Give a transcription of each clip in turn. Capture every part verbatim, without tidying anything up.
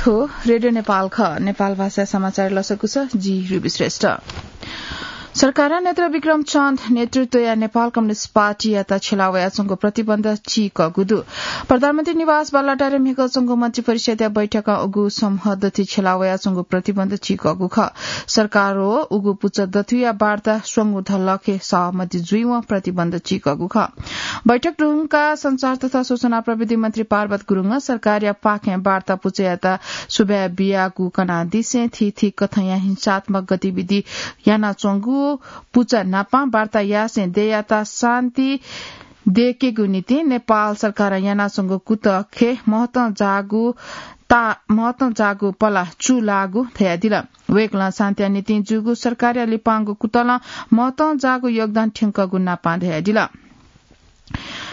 थ्व रेडियो नेपाल खः। नेपाल भाषा समाचार लसकुस, जि रुबी श्रेष्ठ। सरकारं नेत्र विक्रम चन्द नेतृत्वया नेपाल कम्युनिस्ट पार्टीयात छ्यला वयाच्वंगु प्रतिबन्ध चीकःगु दु। प्रधानमन्त्री निवास बालुवाटारय् म्हिगः च्वंगु मन्त्री परिषदया बैठकं उगु समूह दथुइ छ्यला वयाच्वंगु प्रतिबन्ध चीकःगु खः। सरकार व उगु पुचः दथुइया वार्ता स्वंगू धलखे सहमति जुइवं प्रतिबन्ध चीकःगु खः। बैठक धुंकाः सञ्चार तथा सूचना प्रविधि मन्त्री पार्वत गुरुङं सरकारया पाखें वार्ता पुचःयात सुभाय् बियागु कनादिसें थीथी कथंया हिंसात्मक गतिविधि यानाच्वंगु पुचः नापं वार्ता यासें देय्‌यात शान्ति दयेकेगु निंतिं नेपाल सरकारं यानाच्वंगु कुतःखे महतं जाःगु ता-, महतं जाःगु पला चूलाःगु धयादिल। वय्‌कलं शान्तिया निंतिं जूगु सरकारया लिपांगु कुतलं महतं जाःगु योगदान थ्यंकःगु नापं धयादिल।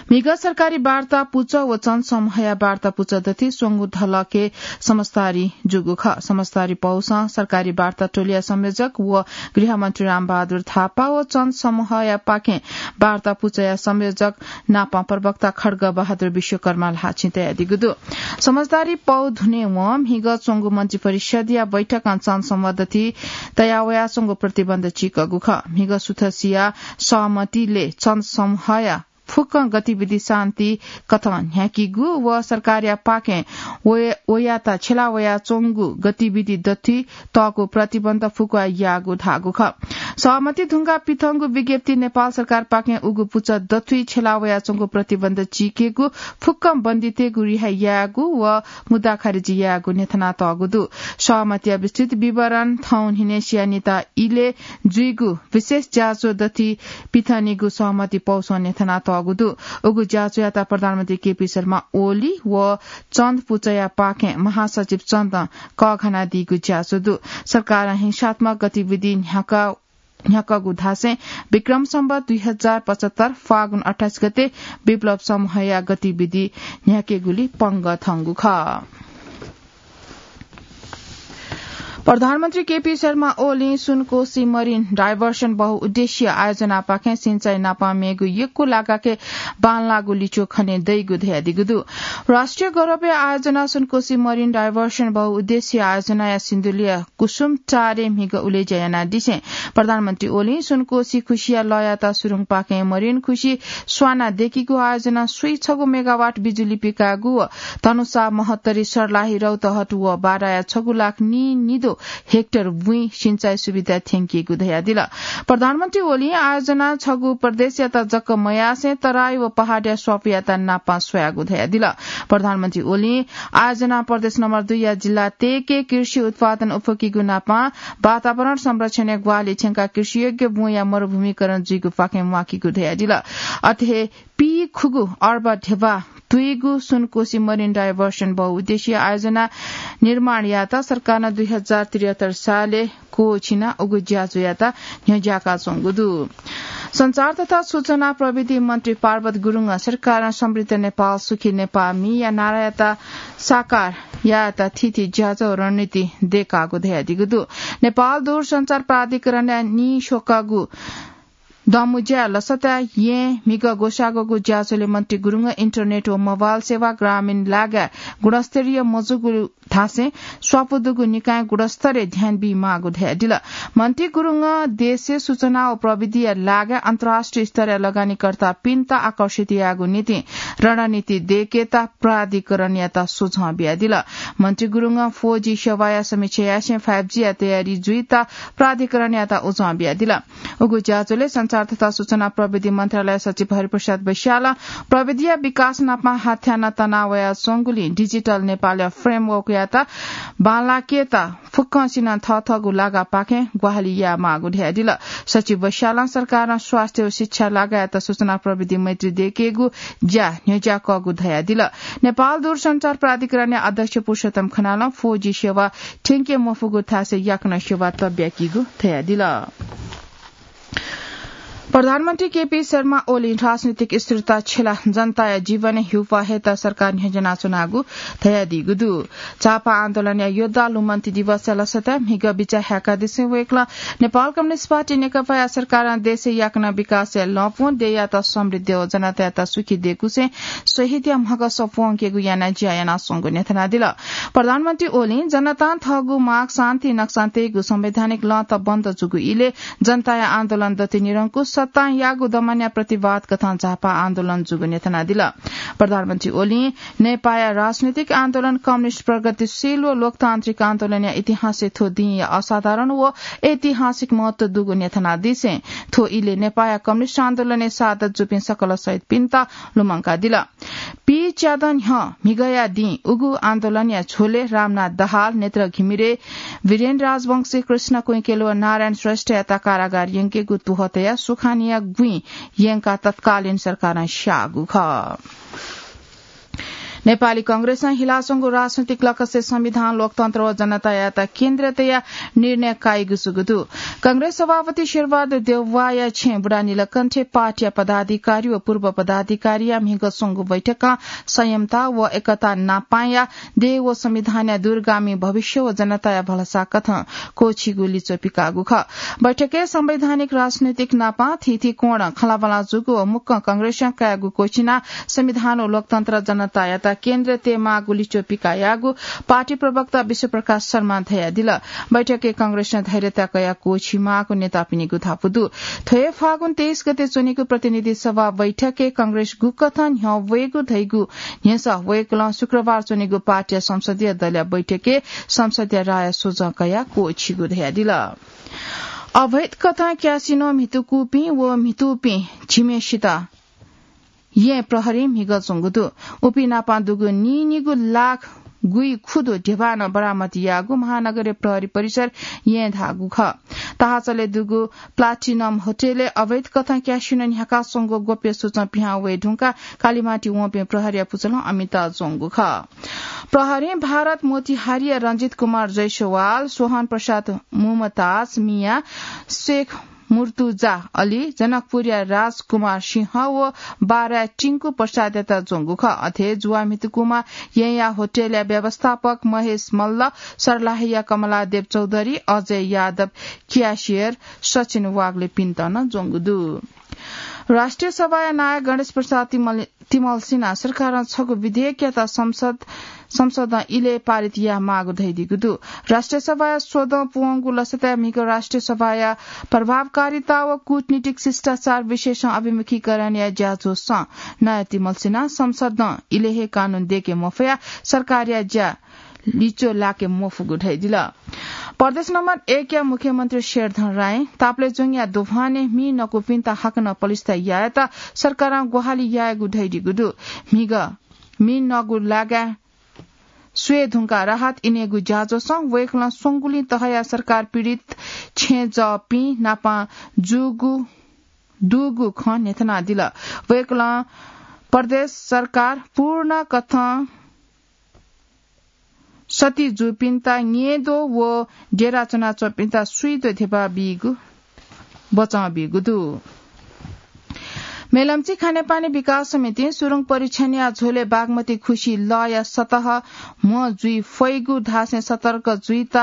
म्हिगः सरकारी वार्ता पुचः व चन्द समूहया वार्ता पुचः दथुइ स्वंगू धलखे समझदारी जूगु खः। समझदारी पौसं सरकारी वार्ता टोलीया संयोजक व गृहमन्त्री रामबहादुर थापा व चन्द समूहया पाखें वार्ता पुचःया संयोजक नापं प्रवक्ता खड्ग बहादुर विश्वकर्मा ल्हाःचिं तयादीगु दु। समझदारी पौ धुनेवं म्हिगः च्वंगु मन्त्री परिषदया बैठकं चन्द समूह दथुइ तया वयाच्वंगु प्रतिबन्ध चीकःगु खः। म्हिगः सुथसिया सहमतिले चन्द समूहया फुक्कं गतिविधि शान्ति कथं न्ह्याकीगु व सरकारया पाखें वय-, वयात छ्यला वयाच्वंगु गतिविधि दथुइ तःगु प्रतिबन्ध फुक्क याःगु धाःगु खः। सहमति धुंकाः पिथंगु विज्ञप्ति नेपाल सरकार पाखें उगु पुचः दथुइ छ्यला वयाच्वंगु प्रतिबन्ध चीकेगु, फुक्कं बन्दीतय्‌गु रिहा यायेगु व मुद्दा खारिज यायेगु न्ह्यथनातःगु दु। सहमतिया विस्तृत विवरण थौं न्हिनय् सिया निता इलय् जुइगु विशेष ज्याझ्वः दथुइ पिथंनिगु सहमति पौसं न्ह्यथनातःगु दु। उगु ज्याझ्वःयात प्रधानमन्त्री केपी शर्मा ओली व चन्द पुचःया पाखें महासचिव चन्दं कःघानादीगु ज्याझ्वः दु। सरकारं हिंसात्मक गतिविधि न्ह्याका-, न्ह्याकागु धासें विक्रम सम्वत दुई हजार पचहत्तर फागुन अट्ठाइस गते विप्लव समूहया गतिविधि न्ह्याकेगुली पंगः थंगु खः। प्रधानमन्त्री केपी शर्मा ओलीं सुनकोशी मरिन डाइभर्सन बहुउद्देश्य आयोजनापाखें सिंचाइ नापं मेगु यक्व लागाखे बांलाःगु लिच्वः खने दइगु धयादीगु दु। राष्ट्रिय गौरवया आयोजना सुनकोशी मरिन डाइभर्सन बहुउद्देश्य आयोजनाया सिन्धुलीया कुसुम टारे म्हिगः उलेज्या यानादिसें प्रधानमन्त्री ओलीं सुनकोशी खुसिया लःयात सुरुङपाखें मरिन खुसि स्वाना दयेकीगु आयोजना स्वीछगू मेगावाट बिजुली पिकायेगु व धनुषा, महोत्तरी, सर्लाही, रौतहट व बाराया छगू लाख नीनिदँ हेक्टर भुइँ सिंचाइ सुविधा थ्यंकीगु धयादिल। प्रधानमन्त्री ओलीं आयोजना छगू प्रदेशयात जक मयासें तराई व पहाडया स्वापुयात नापं स्वयागु धयादिल। प्रधानमन्त्री ओलीं आयोजना प्रदेश नम्बर दुईया जिल्ला तेके कृषि उत्पादन उफकीगु नापं वातावरण संरक्षणया ग्वाहालि थ्यंकाः कृषियोग्य बुँया मरुभूमिकरण जुइगु पाखें म्वाकीगु धयादिल। अथे हे पीखुगू अर्ब ध्यबा तुइगु सुनकोशी मरिन डाइभर्सन बहुउद्देश्य आयोजना निर्माणयात सरकारं दुई हजार त्रिहत्तर सालय् क्वःछिनाः उगु ज्याझ्वःयात न्ह्यज्याकाच्वंगु दु। सञ्चार तथा सूचना प्रविधि मन्त्री पार्वत गुरुङं सरकारं समृद्ध नेपाल, सुखी नेपाल म्हिया नारायात साकार यायेत थीथी ज्याझ्वः रणनीति दयेकागु धयादीगु दु। नेपाल दूरसञ्चार प्राधिकरणया नीस्वकागु दँमुँज्याय् लसताय् येँ म्हिगः ग्वसाःगु ज्याझ्वलय् मन्त्री गुरुङं इन्टरनेट व मोबाइल सेवा ग्रामीण लागाय् गुणस्तरीय मजूगु धासें स्वापू दुगु निकायं गुणस्तरय् ध्यान बीमाःगु धयादिल। मन्त्री गुरुङं देशय् सूचना व प्रविधिया लागाय् अन्तर्राष्ट्रिय स्तरया लगानीकर्तापिन्त आकर्षित यायेगु निंतिं रणनीति दयेकेत प्राधिकरणयात सुझाव बियादिल। मन्त्री गुरुङं फोर जी सेवाया समीक्षा यासें फाइभ जीया तयारी जुइत प्राधिकरणयात उजं बियादिल। उगु ज्याझ्वलय् सञ्चार तथा सूचना प्रविधि मन्त्रालय सचिव हरिप्रसाद बैशालं प्रविधिया विकास नापं हाथ्याना तनावयाच्वंगुलिं डिजिटल नेपालया फ्रेमवर्कयात बांलाकेत फुक्कसिनं थःथःगु लागापाखें ग्वाहालि यायेमाःगु धयादिल। सचिव बैशालं सरकारं स्वास्थ्य व शिक्षा लागाय् सूचना प्रविधि मैत्री दयेकेगु ज्या न्ह्यज्याकःगु धयादिल। नेपाल दूरसञ्चार प्राधिकरणया अध्यक्ष पुरुषोत्तम खनालं फोर जी सेवा थ्यंके मफुगु थासय् याकनं सेवा तब्याकीगु धयादिल। प्रधानमन्त्री केपी शर्मा ओलीं राजनीतिक स्थिरता छ्यला जनताया जीवनय् ह्यूपाः हयेत सरकार न्ह्यज्यानाच्वनागु धयादीगु दु। झापा आन्दोलनया योद्धा लुमन्ति दिवसया लसताय् म्हिगः बिचाः हाय्कादिसें वय्कलं नेपाल कम्युनिस्ट पार्टी नेकपाया सरकारं देशय् याकनं विकासया लँपुं देय्यात समृद्धि व जनतायात सुखी दय्कुसें शहीदया म्हगः सफू वंकेगु यानाः ज्या यानाच्वंगु न्ह्यथनादिल। प्रधानमन्त्री ओलीं जनतां थःगु माग शान्ति नक्सां तयेगु संवैधानिक लँत बन्द जूगु इलय् जनताया आन्दोलन दति निरंकुश सत्तां याःगु दमनया प्रतिवाद कथं झापा आन्दोलन जूगु न्ह्यथनादिल। प्रधानमन्त्री ओलीं नेपाःया राजनीतिक आन्दोलन कम्युनिस्ट प्रगतिशील व लोकतान्त्रिक आन्दोलनया इतिहासय् थ्व दिंया असाधारण व ऐतिहासिक महत्व दुगु न्ह्यथनादिसें थ्व इलय् नेपाःया कम्युनिस्ट आन्दोलनय् शहादत जूपिं सकल शहीदपिन्त लुमंकादिल। पी च्यादँ न्ह्यः म्हिगःया दिं उगु आन्दोलनया झ्वलय् रामनाथ दाहाल, नेत्र घिमिरे, वीरेन राजवंशी, कृष्ण कुइकेल व नारायण श्रेष्ठयात कारागार यंकेगु तुहः तयाः सुखानिया गुँइ यंकाः तत्कालीन सरकारं स्याःगु खः। नेपाली कांग्रेसं हिलाच्वंगु राजनैतिक लकसय् संविधान, लोकतन्त्र व जनतायात केन्द्र तयाः निर्णय काइगु जूगु दु। कांग्रेस सभापति शेरबहादुर देउवाया छेँय् बुढानीलकण्ठय् पार्टीया पदाधिकारी व पूर्व पदाधिकारीया म्हिगः स्वंगू बैठकं संयमता व एकता नापांया देय् व संविधानया दूरगामी भविष्य व जनताया भलसा कथं क्वःछीगु लिच्वः पिकाःगु खः। बैठकय् संवैधानिक राजनैतिक नापां थीथी कोणं खँल्हाबल्हा जूगु व मुक्कं कांग्रेसं कायेगु क्वःछिनाः संविधान व लोकतन्त्र जनतायात केन्द्र तयेमाःगु लिच्वः पिकायाःगु पार्टी प्रवक्ता विश्वप्रकाश शर्मां धयादिल। बैठकय् कांग्रेसं धैर्यता कयाः क्वःछी माःगु नेतापिनिगु धापू दु। थ्व हे फागुन तेइस गते च्वनीगु प्रतिनिधि सभा बैठकय् कांग्रेस गुकथं न्ह्यः वयेगु धइगु न्ह्यसः वय्कलं शुक्रबार च्वनीगु पार्टीया संसदीय दलया बैठकय् संसदीय राय सोझं कयाः क्वःछीगु धयादिल। अवैध कथं क्यासिनो म्हितुकूपिं व म्हितूपिं झिम्हेसित येँ प्रहरीं म्हिगः च्वंगु दु। उपिं नाप दुगु नीनिगू लाख गुइखुदु ध्यबा नं बरामद याःगु महानगरीय प्रहरी परिसर येँय् धाःगु खः। ताहाचलय् दुगु प्लाटिनम होटलय् अवैध कथं क्यासिनो न्ह्याका स्वंगु गोप्य सूचं पिहां वये धुंकाः कालिमाटी वंपिं प्रहरीया पुचलं अमित ज्वंगु खः। प्रहरीं भारत मोतिहारीया रञ्जित कुमार जयसवाल, सोहन प्रसाद मुमताज मिया, शेख मुर्तुजा अली, जनकपुरया राजकुमार सिंह व बाराया टिंकु प्रसादयात ज्वंगु खः। अथे जुवा म्हितुकूम्ह येँया होटलया व्यवस्थापक महेश मल्ल, सर्लाहीया कमलादेव चौधरी, अजय यादव, क्यासियर सचिन वाग्लेपिन्त नं ज्वंगु दु। राष्ट्रिय सभाया नायः गणेश प्रसाद तिमल तिमल्सिनां सरकारं छगू विधेयकयात संसद, संसदं इलय् पारित यायेमाःगु धयादीगु दु। राष्ट्रिय सभाया स्वदँ पुवंगु लसताय् म्हिगः राष्ट्रिय सभाया प्रभावकारिता व कूटनीतिक शिष्टाचार विषयसं अभिमुखीकरणया ज्याझ्वःसं नायः तिमल्सिनां संसदं इलय् हे कानून दय्के मफयाः सरकारया ज्या लिच्वः लाके मफुगु धयादिल। प्रदेश नम्बर एकया मुख्यमन्त्री शेरधन रायं ताप्लेजुङया दोभानय् मि नकूपिन्त हाकनं पलिस्था यायेत सरकारं ग्वाहालि यायेगु धयादीगु दु। म्हिगः मि नगु लागाय् स्वये धुंकाः राहत इनेगु ज्याझ्वःसं वय्कलं स्वंगुलिं तहया सरकार पीडित छेँजःपिं नाप जूगु, दुगु खँ न्ह्यथनादिल। वय्कलं प्रदेश सरकार पूर्ण कथं सति जूपिन्त न्येद्वः व डेरा च्वनाच्वंपिन्त स्वीद्वः ध्यबा बीगु बचं बीगु दु। मेलम्ची खानेपानी विकास समितिं सुरुङ परीक्षणया झ्वलय् बागमती खुसि लःया सतह म्ह जुइ फइगु धासें सतर्क जुइत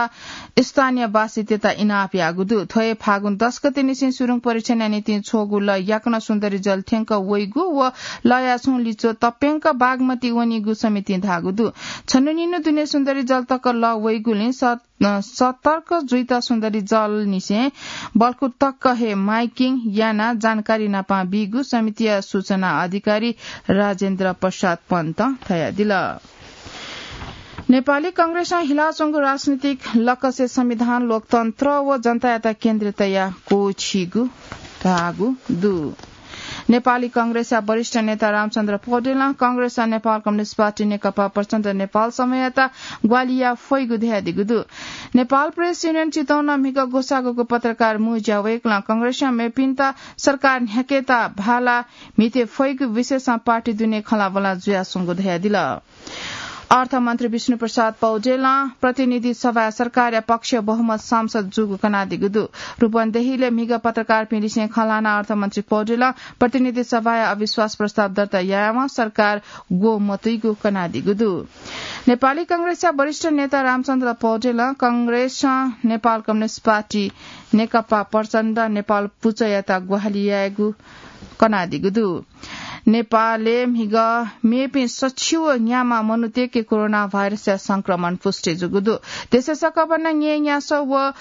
स्थानीयवासीतय्त इनाप याःगु दु। थ्व हे फागुन दस गते निसें सुरुङ परीक्षणया निंतिं छ्वःगु लः याकनं सुन्दरी जल थ्यंक वइगु व लःया छुं लिच्वः तप्यंक बागमती वनीगु समितिं धाःगु दु। छन्हु निन्हु दुने सुन्दरी जल तक लः वइगुलिं स-, अ, सतर्क जुइत सुन्दरी जल निसें बल्खु तक हे माइकिङ यानाः जानकारी नाप बीगु समितिया सूचना अधिकारी राजेन्द्र प्रसाद पन्तं धयादिल। नेपाली कांग्रेसं हिलाच्वंगु राजनीतिक लकसय् संविधान, लोकतन्त्र व जनतायात केन्द्र तयाः क्वःछीगु धाःगु दु। नेपाली कांग्रेसया वरिष्ठ नेता रामचन्द्र पौडेलं कांग्रेसं नेपाल कम्युनिस्ट पार्टी नेकपा प्रचण्ड नेपाल समूहयात ग्वाहालि याये फइगु धयादीगु दु। नेपाल प्रेस युनियन चितवनं म्हिगः ग्वसाःगुगु पत्रकार मुँज्या वय्कलं कांग्रेसं मेपिन्त सरकार न्ह्याकेत भाला म्हिते फइगु विषयसं पार्टी दुने खँल्हाबल्हा जुयाच्वंगु धयादिल। अर्थमन्त्री विष्णुप्रसाद पौडेलं प्रतिनिधि सभाय् सरकारया पक्षय् बहुमत सांसद जूगु कनादीगु दु। रूपन्देहीलय् म्हिगः पत्रकारपिं लिसें खँ ल्हानाः अर्थमन्त्री पौडेलं प्रतिनिधि सभाय् अविश्वास प्रस्ताव दर्ता यायेवं सरकार ग्वः मतुइगु कनादीगु दु। नेपाली कांग्रेसया वरिष्ठ नेता रामचन्द्र पौडेलं कांग्रेसं नेपाल कम्युनिस्ट पार्टी, नेकपा प्रचण्ड, नेपाल पुचःयात ग्वाहालि यायेगु कनादीगु दु। नेपालय् म्हिगः मेपिं सछि व न्याम्ह मनूतय्‌के कोरोना भाइरसया संक्रमण पुष्टि जूगु दु। देशय् सकभनं न्यय्‌न्यासः व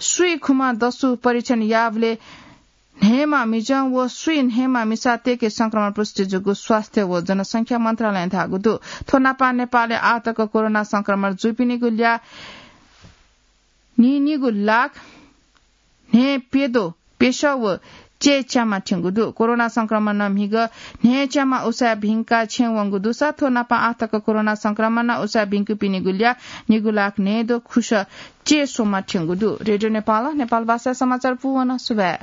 स्वीखुम्ह दसु परीक्षण याःबलय् न्हय्‌म्ह मिजं व स्वीन्हय्‌म्ह मिसातय्‌के संक्रमण पुष्टि जूगु स्वास्थ्य व जनसंख्या मन्त्रालयं धाःगु दु। थ्व नापं नेपालय् आः तक कोरोना संक्रमण जूपिनिगु ल्याः नीनिगू लाख न्हय्‌प्यदँ प्यसः व चय्‌च्याम्ह थ्यंगु दु। कोरोना संक्रमणं म्हिगः न्हय्‌च्याम्ह उसाँय् भिंकाः छेँय् वंगु दुसा थ्व नापं आः तक कोरोना संक्रमणं उसाँय् भिंकूपिनिगु ल्याः निगू लाख न्हय्‌द्वः खुसः चय्‌स्वम्ह थ्यंगु दु। रेडियो नेपालं नेपाल भाषाय् समाचार पूवन। सुभाय्।